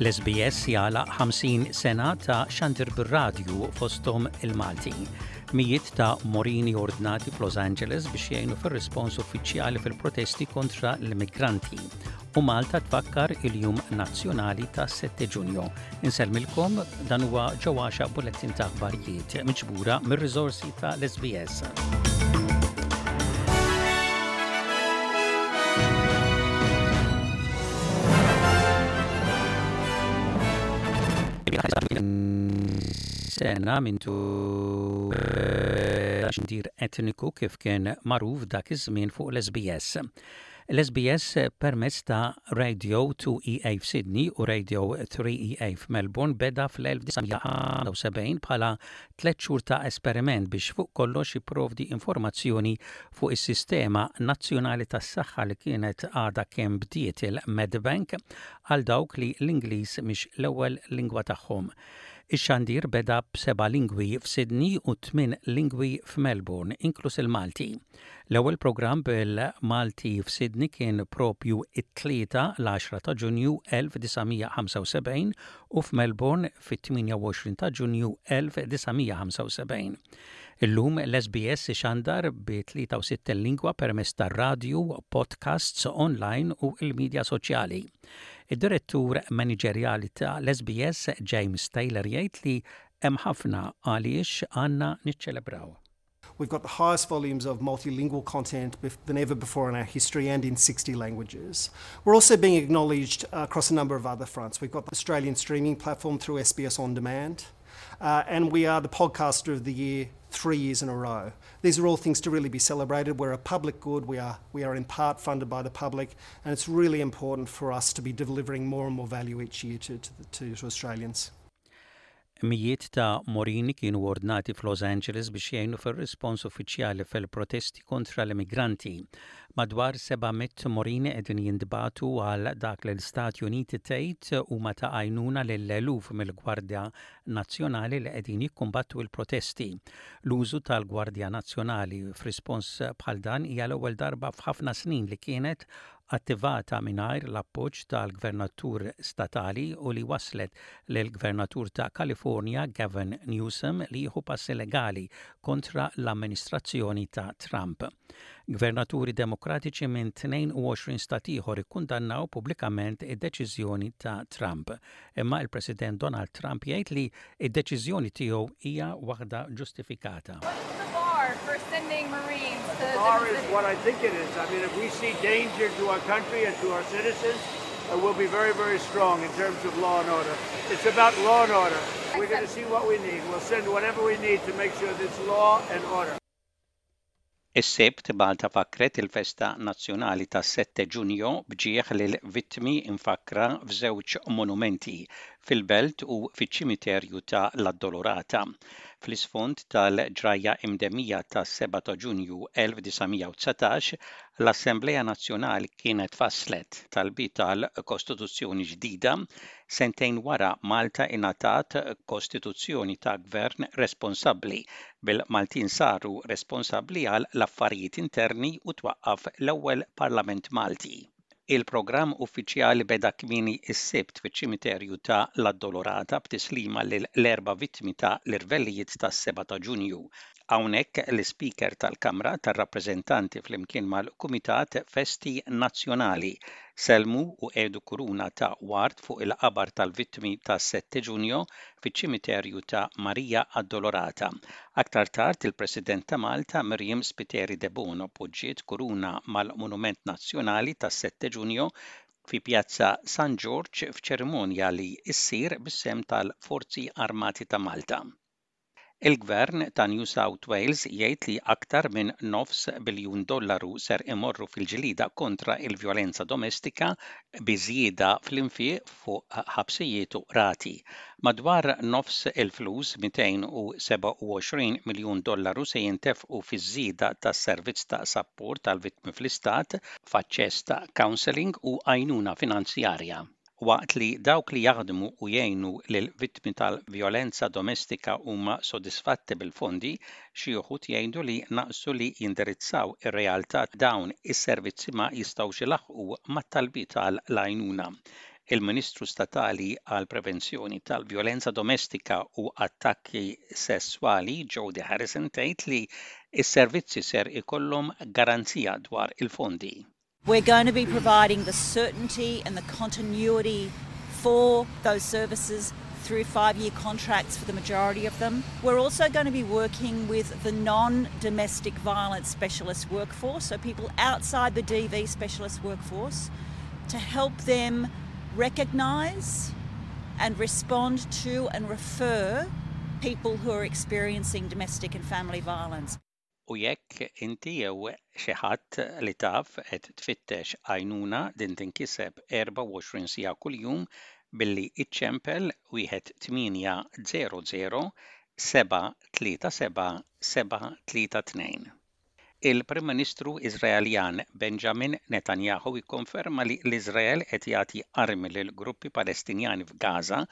L-SBS jagħlaq 50 sena ta' xandir bir-radju fosthom il-Malti. Mijiet ta' Morini ordnati f'Los Angeles biex jgħinu fir-rispons uffiċjali fil-protesti kontra l-immigranti. U Malta tfakkar il-Jum Nazzjonali ta' 7 Ġunju. Insellmilkom dan huwa ġewwaxa bulettin ta' aħbarijiet miġbura mir-riżorsi ta' l-SBS. Sena mintu xandir etniku kif kien magħruf dak iż-żmien fuq l-SBS. L-SBS permezz ta' Radio 2EA f'Sydney u Radio 3EA f'Melbourne beda fl-1975 bħala tlett xhur ta' esperiment biex fuq kollox jipprovdi informazzjoni fuq is-sistema nazzjonali tas-saħħa li kienet għadha kemm bdiet il-Medibank għal dawk li l-Ingliż mhix l-ewwel lingwa tagħhom. Ix-xandir beda b'seba' lingwi f'Sydney u tmien lingwi f'Melbourne, inkluż il-Malti. L-ewwel programm bil-Malti f'Sydney kien proprju t-Tlieta, l-għaxra ta' Ġunju 1975 u f'Melbourne fit-28 ta' Ġunju 1975. Illum l-SBS ixandar bi 63 lingwa permezz tar-radju, podcasts online u l-midja soċjali. Id-Direttur Maniġerjali ta' l-SBS James Taylor jgħid li hemm ħafna għaliex għandna niċċelebraw. We've got the highest volumes of multilingual content than ever before in our history and in 60 languages. We're also being acknowledged uh, across a number of other fronts. We've got the Australian streaming platform through SBS On Demand, uh, and we are the podcaster of the year three years in a row. These are all things to really be celebrated. We're a public good, we are, we are in part funded by the public, and it's really important for us to be delivering more and more value each year to, to, to, to Australians. Mijiet ta' Morini kienu ordnati f'Los Angeles biex jgħinu fir-rispons uffiċjali fil-protesti kontra l-immigranti. Madwar 700 Morini qegħdin jintbagħtu għal dak li l-Istati Uniti tgħid huma ta' għajnuna lil eluf mill-Gwardja Nazzjonali li qegħdin jikkumbattu l-protesti. L-użu tal-Gwardja Nazzjonali f'rispons bħal dan hija l-ewwel darba f'ħafna snin li kienet attivata mingħajr l-appoġġ tal-gvernatur statali u li wasslet lill-Gvernatur ta' Kalifornja Gavin Newsom li jieħu passi legali kontra l-amministrazzjoni ta' Trump. Gvernaturi Demokratiċi minn 22 stat ieħor ikkundannaw pubblikament id-deċiżjoni ta' Trump. Imma il-President Donald Trump jgħid li d-deċiżjoni tiegħu hija waħda ġustifikata. The bar is what I think it is. I mean, if we see danger to our country and to our citizens, uh, we'll be very, very strong in terms of law and order. It's about law and order. We're going to see what we need. We'll send whatever we need to make sure there's law and order. Is-Sibt, Malta fakkret il-festa nazzjonali tas-Sette Giugno b'ġieħ lill-vittmi mfakkra f'żewġ monumenti, fil-Belt u fiċ-ċimiterju ta' l-Addolorata. Fl-isfond tal-ġrajja imdemmija tas-Seba' ta' Ġunju 1919, l-Assemblea Nazzjonali kienet fasslet talbiet għal Kostituzzjoni ġdida Sentejn wara, Malta ingħatat kostituzzjoni ta' gvern responsabbli, bil-Maltin saru responsabbli għal l-affarijiet interni u twaqqaf l-ewwel Parlament Malti. Il-programm uffiċjali beda kmieni s-Sibt fiċ-ċimiterju ta' l-Addolorata b'tislima lil l-erba' vittmi ta' l-irvellijiet tas-seba' ta' Ġunju. Hawnhekk l-Ispeaker tal-Kamra tar-Rappreżentanti flimkien mal-Kumitat Festi Nazzjonali Sellmu u qiegħdu kuruna ta' ward fuq il-qabar tal-vittmi tas-Sette Giugno fiċ-ċimiterju ta' Maria Addolorata. Aktar tard il-President ta' Malta Myriam Spiteri Debono poġġiet kuruna mal-Monument Nazzjonali tas-Sette Giugno fi Pjazza San Ġorġ f'ċerimonja li ssir bis-sehem tal-Forzi Armati ta' Malta. Il-Gvern ta' New South Wales jgħid li aktar minn nofs biljun dollaru ser imorru fil-ġlieda kontra l-vjolenza domestika bi żieda fl-infiq fuq ħabsijiet u qrati. Madwar nofs il-flus, 227 miljun dollaru se jintefqu fiż-żieda tas-servizz ta' sapport għall-vittmi fl-istat, f'aċċess ta' counselling u għajnuna finanzjarja. Waqt li dawk li jaħdmu u jgħinu lill-vittmi tal-vjolenza domestika huma sodisfatti bil-fondi, xi wħud jgħidu li naqsu li jindirizzaw ir-realtà dawn is-servizzi ma jistgħux ilaħħqu mat-talbiet għal l-għajnuna. Il-Ministru Statali għall-Prevenzjoni tal-Vjolenza Domestika u Attakki Sesswali Jodie Harrison tgħid li s-servizzi ser ikollhom garanzija dwar il-fondi. We're going to be providing the certainty and the continuity for those services through five-year contracts for the majority of them. We're also going to be working with the non-domestic violence specialist workforce, so people outside the DV specialist workforce, to help them recognise and respond to and refer people who are experiencing domestic and family violence. U jekk inti jew xi ħadd li taf qed tfittex għajnuna din tinkiseb 24 siegħa kuljum billi iċċempel wieħed 800 737 732. Il-Prim Ministru Iżraeljan Benjamin Netanyahu ikkonferma li l-Iżrael qed jagħti armi lil gruppi Palestinjani f'Gaza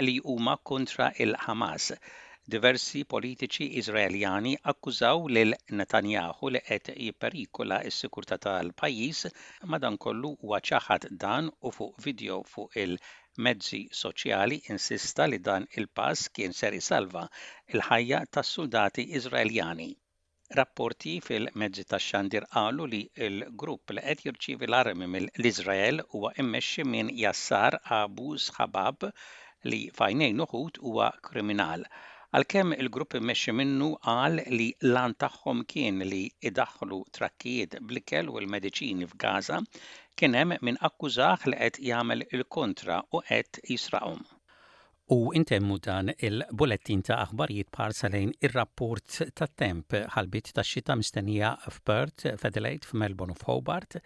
li huma kontra l-Ħamas. Diversi politiċi Iżraeljani akkużaw lil Netanyahu li qed jipperikola s-sikurtà tal-pajjiż, madankollu huwa ċaħad dan u fuq video fuq il-mezzi soċjali insista li dan il-pass kien ser isalva l-ħajja tas-suldati Iżraeljani. Rapporti fil-mezzi tax-xandir qalu li l-grupp li qed jirċievi l-armi mill-Iżrael huwa mmexxi minn Yassar Abu Shabab li f'għajnejn uħud huwa kriminal. Għalkemm il-grupp immexxi minnu qal li l-għan tagħhom kien li jdaħħlu trakkijiet bl-ikel u l-mediċini f'Gaza, kien hemm min akkużah li qed jagħmel il-kontra u qed jisraqhom. U intemmu dan il-bulettin ta' aħbarijiet b'ħarsa lejn ir-rapport tat-temp. Ħalbiet tax-xita mistennija f'Perth, f'Adelaide, f'Melbourne u f'Hobart,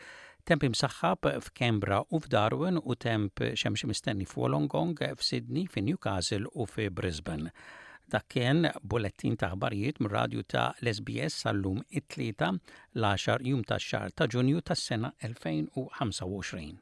temp imsaħħab f'Canberra u f'Darwin u temp xemxi mistenni f'Wollongong, f'Sydney, fi Newcastle u fi Brisbane. Dak kien bulettin ta' aħbarijiet mir-radju ta' l-SBS sal-lum it-Tlieta, l-għaxar jum tax-xahar ta' Ġunju tas-sena 2025.